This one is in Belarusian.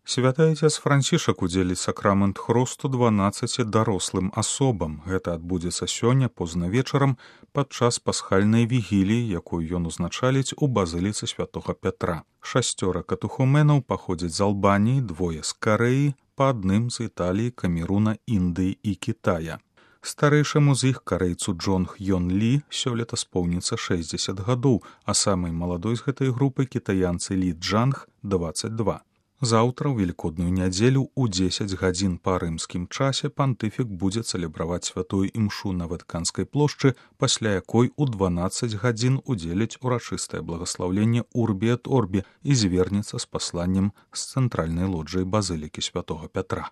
Святы Айцец Францішак удзеліць сакрамент хросту 12 дарослым асобам. Гэта адбудзецца сёння позна вечарам падчас пасхальнай вігіліі, якую ён узначаліць у базыліцы святога Пятра. 6 катухуменаў паходзяць з Албаніі, 2 з Карэі, па адным з Італіі, Камеруна, Індыі і Кітая. Старэйшаму з іх, карэйцу Джон Хьён Лі, сёлета споўніцца 60 гадоў, а самай маладой з гэтай групы кітаянцы Лі Джанг 22. Заўтра, у велікодную нядзелю, у 10 гадзін па рымскім часе пантыфік будзе цэлебраваць святую імшу на Ватыканскай плошчы, пасля якой у 12 гадзін удзеліць урачыстае благаслаўленне Урбі эт Орбі і звернецца з пасланнем з цэнтральнай лоджыі базылікі святога Пятра.